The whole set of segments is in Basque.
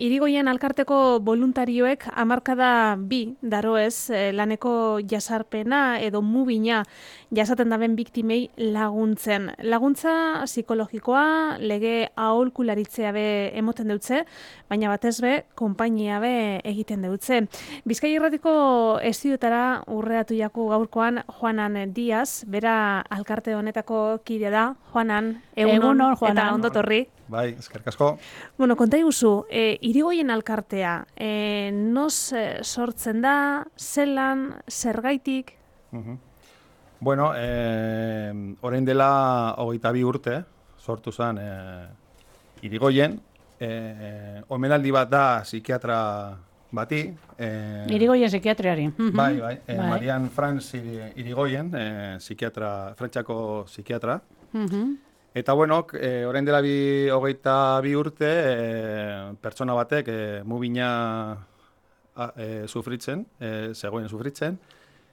Irigoien alkarteko voluntarioek hamarkada bi daroez laneko jasarpena edo mubina jasaten daben biktimei laguntzen. Laguntza psikologikoa, lege aholkularitzea be emoten deutze, baina batez be, konpainia be egiten deutze. Bizkai Irratiko estudioetara urreatu jaku gaurkoan Juanan Diaz, bera alkarte honetako kide da. Juanan, egunon Juanan. Eta ondotorri. Bai, eskerrik asko. Bueno, konta iguzu, Irigoien alkartea, noz sortzen da, zelan, zergaitik? Bueno, orain dela 22 urte, sortu zen Irigoien. Omenaldi bat da psikiatra bati. Irigoien psikiatriari. Bai. Marian Franz Irigoien, Frantziako psikiatra. Eta, bueno, orain dela 22 urte, pertsona batek mubina zegoen sufritzen,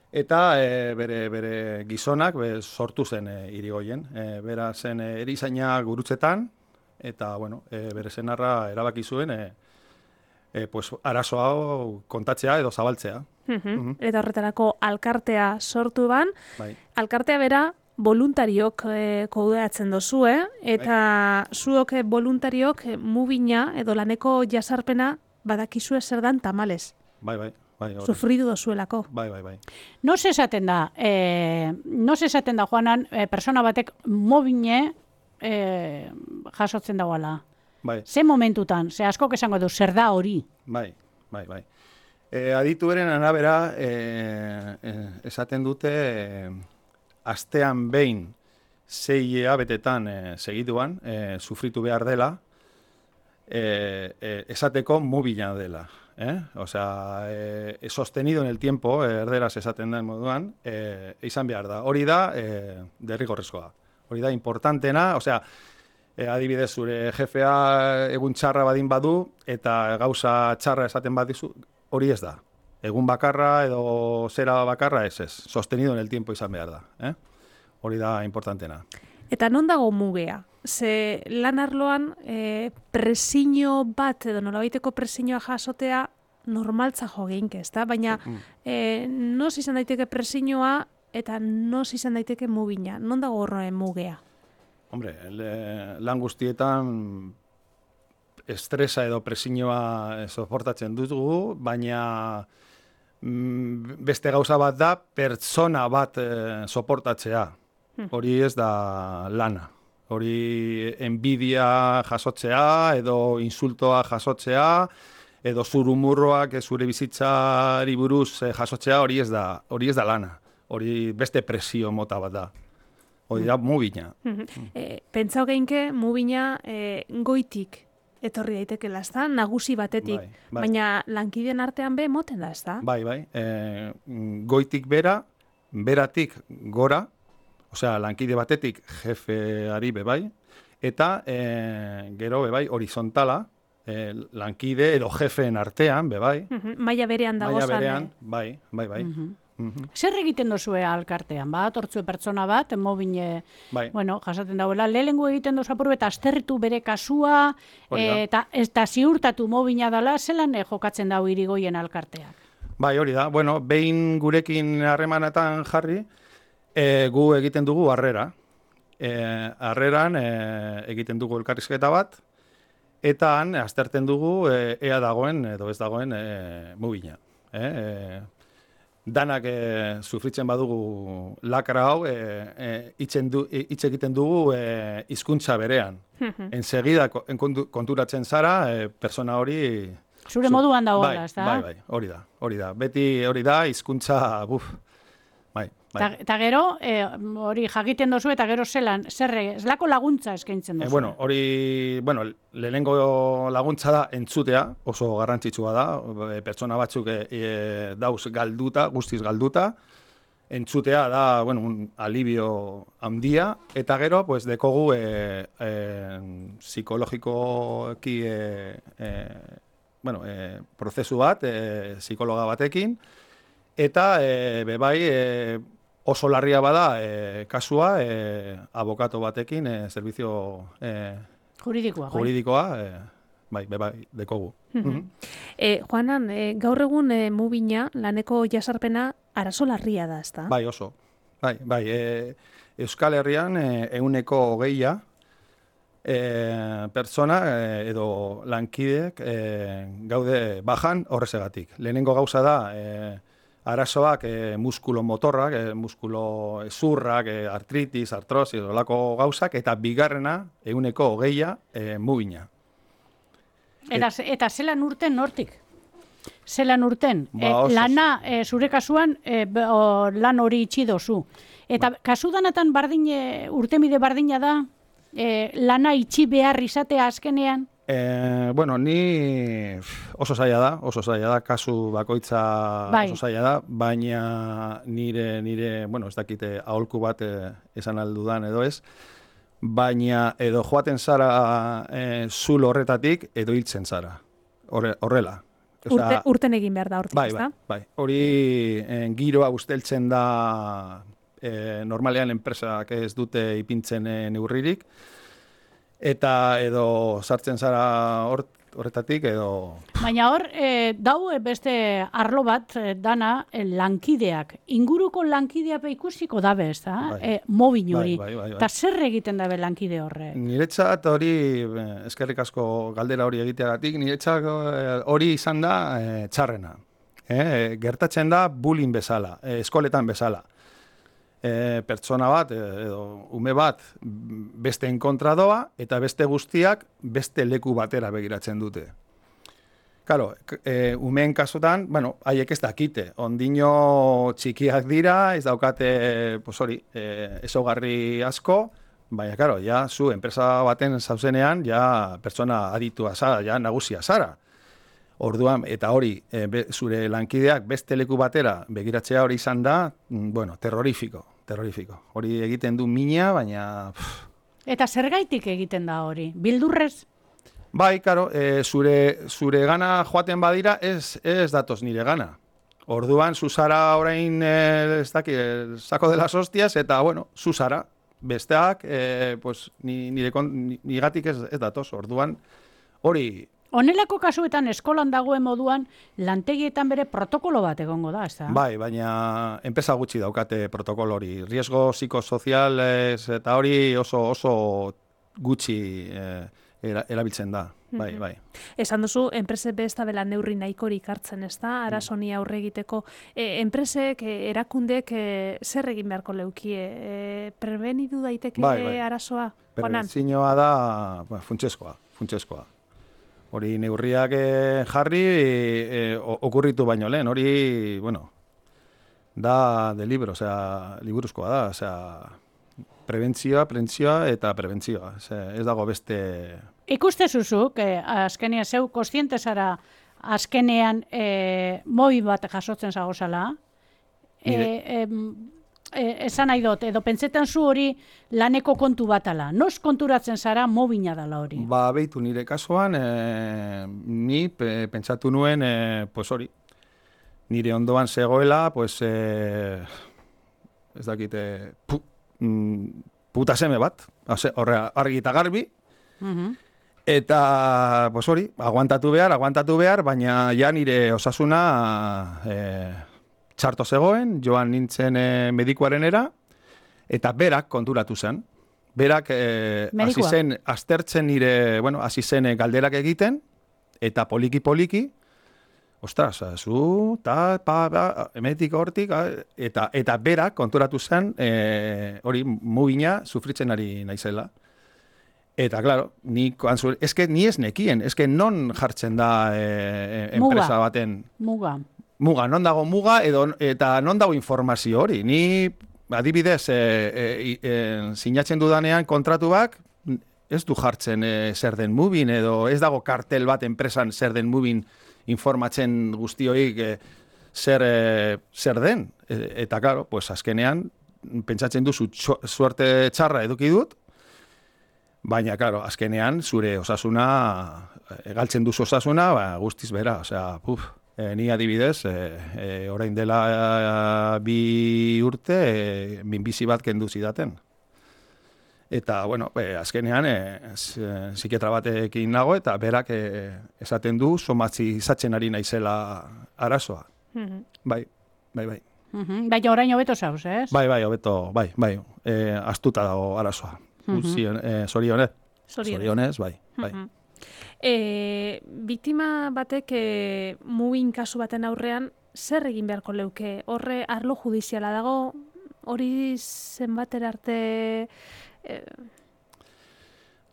eta bere gizonak sortu zen Irigoien. Bera zen erizaina gurutzetan, eta, bueno, bere senarra erabaki zuen arazo hau kontatzea edo zabaltzea. Eta horretarako alkartea sortu ban, Bai. alkartea bera voluntariok kudeatzen dozue, eta zuok voluntariok mubina edo laneko jasarpena badakizue zer dan tamales. Bai. Sufridu dozuelako. Bai. Noz esaten da, Juanan, persona batek mobine jasotzen dagoela? Bai. Ze momentutan, ze askok esango du, zer da hori? Bai. Adituaren arabera esaten dute astean behin 6 hilabetetan segiduan sufritu behar dela esateko mubina dela. Osea, sostenido en el tiempo, erderaz esaten den moduan, izan behar da. Hori da derrigorrezkoa. Hori da importantena, osea, adibidez zure jefea egun txarra badin badu eta gauza txarra esaten badizu, hori ez da. Egun bakarra edo zera bakarra ez. Sostenido en el tiempo izan behar da. Hori da importantena. Eta non dago mugea? Ze lan arloan presiño bat edo nolabaiteko presiñoa jasotea normaltza jo geinke, ezta? Baina noz izan daiteke presiñoa eta noz izan daiteke mubina? Non dago horren mugea? Hombre, lan guztietan estresa edo presiñoa soportatzen dugu, baina beste gauza bat da pertsona bat soportatzea. Hori ez da lana. Hori enbidia jasotzea edo insultoa jasotzea edo zurumurroak zure bizitzari buruz jasotzea, hori ez da lana. Hori beste presio mota bat da. Hori da mubina. Pentsau geinke mubina goitik etorri daitekela, ezta? Nagusi batetik. Bai. Baina lankideen artean be moten da, ezta? Bai. Goitik beratik gora, osea, lankide batetik jefeari bebai, eta gero bebai horizontala, lankide edo jefeen artean bebai. Maila berean dago zan. Maila berean, bai. Zer egiten dozue alkartean? Hortzue pertsona bat, mobine, jasaten dauela, lehengo egiten dozu apuru eta asterritu bere kasua, eta ziurtatu mobina dela, zelan jokatzen dau Irigoien alkarteak? Bai, hori da. Bueno, behin gurekin harremanetan jarri, gu egiten dugu harrera. Harreran egiten dugu elkarrizketa bat, eta han azterten dugu ea dagoen edo ez dagoen mubina. Danak sufritzen badugu lakra hau, hitz egiten dugu hizkuntza berean. Ensegida konturatzen zara, persona hori... Zure moduan dagoela, ez da? Bai, hori da. Beti hori da, hizkuntza, bai. Eta gero, hori jakiten dozu eta gero zelako laguntza eskaintzen dozu? Hori, lehenengo laguntza da entzutea, oso garrantzitsua da, pertsona batzuk dauz galduta, guztiz galduta, entzutea da, un alibio handia, eta gero, dekogu psikologikoki prozesu bat, psikologa batekin, eta bebai oso larria bada kasua abokatu batekin, servizio juridikoa, dekogu. Juanan, gaur egun Mubina, laneko jasarpena, arazo larria da, ezta? Bai, oso. Bai, Euskal Herrian 120 pertsona edo lankideek gaude bajan horrezegatik. Lehenengo gauza da, arazoak muskulo motorrak, muskulo zurrak, artritis, artrosis, olako gauzak, eta bigarrena 120 Mubina. Eta zelan urten nortik? Zelan urten? Lana, zure kasuan, lan hori itxi dozu. Eta kasu danatan urtemide bardina da, lana itxi behar izatea azkenean? Ni oso zaila da, kasu bakoitza oso zaila da, baina nire, ez dakite aholku bat esan aldudan edo ez, baina edo joaten zara zulo horretatik edo hiltzen zara, horrela. Urten egin behar da hortik, ezta? Bai. Hori giroa usteltzen da normalean enpresak ez dute ipintzen neurririk, eta edo sartzen zara horretatik edo... Baina hor, dau beste arlo bat dana lankideak. Inguruko lankideak ikusiko dabe, ez da? Mobin hori. Eta zer egiten dabe lankide horrek? Niretzat hori, eskerrik asko galdera hori egiteagatik, niretzat hori izan da txarrena. Gertatzen da bullying bezala, eskoletan bezala. Pertsona bat edo ume bat beste enkontra doa eta beste guztiak beste leku batera begiratzen dute. Claro, umeen kasutan, haiek ez dakite, ondino txikiak dira, ez daukate, ezaugarri asko, baina, claro, zu enpresa baten zauzenean, pertsona aditua zara, nagusia zara. Orduan, eta hori, zure lankideak beste leku batera begiratzea hori izan da, terrorifiko. Hori egiten du mina, baina... Eta zergaitik egiten da hori? Bildurrez? Bai, karo, zure gana joaten badira, ez datoz nire gana. Orduan, zuzara orain, ez daki, sako de las hostias, eta, zuzara. Besteak, nigatik ez datoz. Orduan, hori... Honelako kasuetan eskolan dagoen moduan lantegietan bere protokolo bat egongo da, ez da? Bai, baina enpresa gutxi daukate protokolo hori. Riesgo psikosozial eta hori oso gutxi erabiltzen da. Bai. Esan duzu, enpresek besta bela neurri nahikorik hartzen, ez da? Arazoni aurre egiteko. Enpresek, erakundek zer egin beharko leukie? Prebenidu daiteke arazoa? Prebentzioa da funtsezkoa. Hori neurriak jarri okurritu baino lehen, hori, da de libro, liburuzkoa da, prebentzioa eta prebentzioa, ez dago beste... Ikuste zuzuk, azkenean zeu kontziente zara azkenean mobi bat jasotzen zagozala, esan nahi dut, edo pentsetan zu hori laneko kontu batala. Noz konturatzen zara mobina dala hori? Behitu nire kasuan, ni pentsatu nuen, hori, nire ondoan zegoela, ez dakite, puta seme bat, argi eta garbi, eta, hori, aguantatu behar, baina nire osasuna txarto zegoen, joan nintzen medikuarenera, eta berak konturatu zen. Berak hasi zen aztertzen nire, hasi zen galderak egiten, eta poliki, ostras, emetik hortik, eta berak konturatu zen, hori mubina sufritzen ari naizela. Eta, claro, ni ez nekien, non jartzen da enpresa baten... Muga, non dago muga eta non dago informazio hori. Ni, adibidez, sinatzen dudanean kontratu bak, ez du jartzen zer den mubin, edo ez dago kartel bat enpresan zer den mubin informatzen guztioik zer den. Eta, claro, azkenean, pentsatzen duzu suerte txarra eduki dut, baina, claro, azkenean, zure osasuna, galtzen duzu osasuna, guztiz bera, ni adibidez, orain dela 2 urte, minbizi bat kendu zidaten. Eta, bueno, azkenean, psikiatra batekin nago, eta berak esaten du, somatzi izatzen ari naizela arazoa. Bai. Baina orain hobeto zauz, ez? Bai, hobeto, bai. Astuta dago arazoa. Zorionez, bai. Biktima batek mubin kasu baten aurrean, zer egin beharko leuke? Horre arlo judiziala dago, hori zenbatera arte...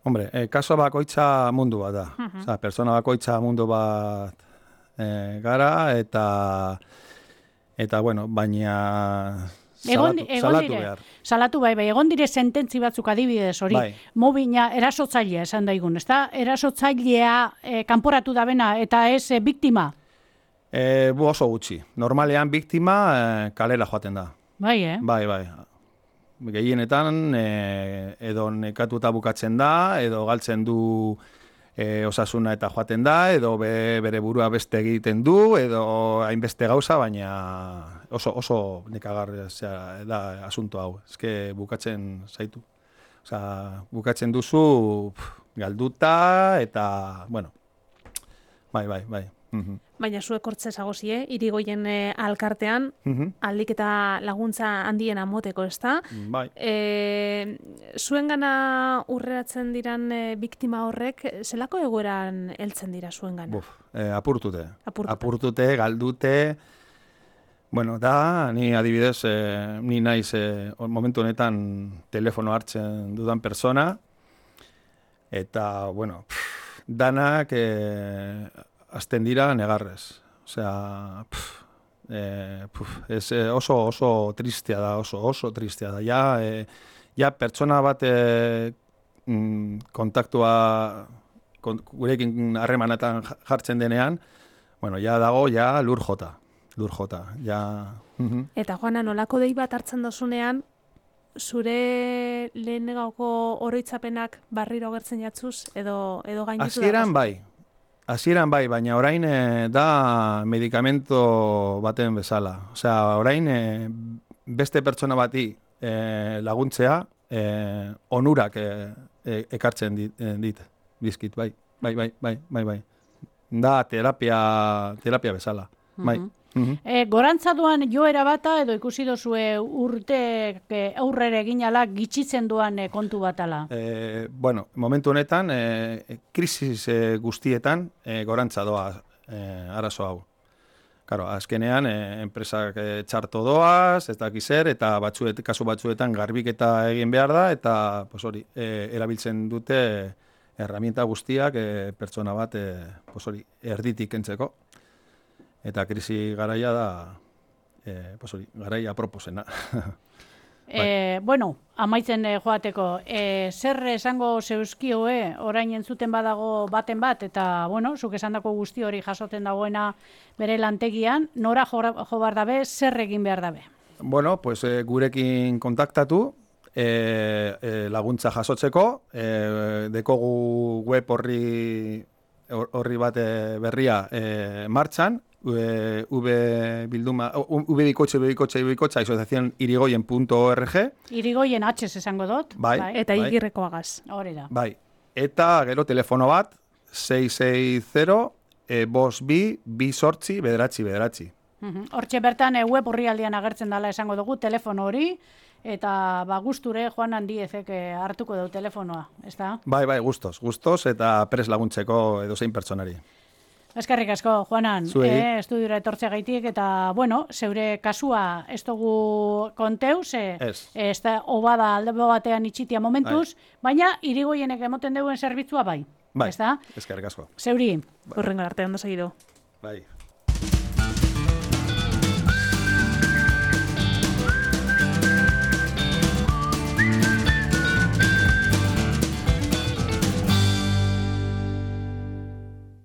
Hombre, kaso bakoitza mundu bat da. Osa, persona bakoitza mundu bat gara, eta bueno, baina salatu behar. Salatu bai, egon dire sententzi batzuk adibidez hori, mobina erasotzailea esan daigun, ezta? Erasotzailea kanporatu da bena, eta ez biktima? Oso gutxi. Normalean biktima kalera joaten da. Bai, Bai. Gehienetan edo nekatuta bukatzen da, edo galtzen du osasuna eta joaten da, edo bere burua beste egiten du, edo hainbeste gauza, baina oso nekagarria da asunto hau. Eske bukatzen zaitu. Osea, bukatzen duzu galduta eta, bueno, bai. Baina zuek hortze zagozie, Irigoien alkartean, aldik eta laguntza handiena moteko, ezta? Bai. Zuen gana urreratzen diran biktima horrek, zelako egoeran heltzen dira zuen gana? Apurtute, galdute. Bueno, ni adibidez, ni naiz momentu honetan telefono hartzen dudan persona, eta, bueno, danak... azten dira negarrez. Osea, oso tristea da, oso tristea da. Ja pertsona bat kontaktua gurekin harremanetan jartzen denean, bueno, ja dago, ja lur jota. Ja. Eta Juana, nolako dei bat hartzen dozunean, zure lehen gauko oroitzapenak barriro gertzen jatzuz, edo gainditu da? Hasieran bai, baina orain da medikamento baten bezala. Osea, orain beste pertsona bati laguntzea onurak ekartzen dit, bizkit, bai. Da terapia bezala, bai. Gorantzaduan joera bata edo ikusi dozue urte aurrere eginala gitxitzen duan kontu batala? Bueno, momentu honetan, krisis guztietan gorantzadoa arazo hau. Claro, azkenean, enpresak txarto doaz, ez dakiz zer, eta kasu batzuetan garbiketa egin behar da, eta erabiltzen dute herramienta guztiak pertsona bat erditik kentzeko. Eta krisi garaia da, garaia aproposena. Bueno, amaitzen joateko, zer esango zeuzkioe, orain entzuten badago baten bat, eta, bueno, zuk esandako guzti hori jasoten dagoena bere lantegian, nora jo behar dabe, zer egin behar dabe? Bueno, pues gurekin kontaktatu, laguntza jasotzeko, dekogu web horri bat berria martxan, asociacionirigoyen.org. Irigoyen H esango dut. Bai. Eta igirrekoagaz. Hori da. Bai. Eta gero telefono bat, 660-222-9 Hortxe bertan web orrialdean agertzen dela esango dugu, telefono hori, eta gusture Juan Handiezek hartuko du telefonoa, ez da? Bai, gustos, eta pres laguntzeko edozein pertsonari. Eskerrik asko, Juanan, estudiora etortzea gaitik, eta, bueno, zeure kasua ez dugu konteuz, ez da obada alde batean itxitia momentuz, baina Irigoienek emoten duen zerbitzua bai. Bai, eskerrik asko. Zeuri. Horrengo arte, ondo segido. Bai.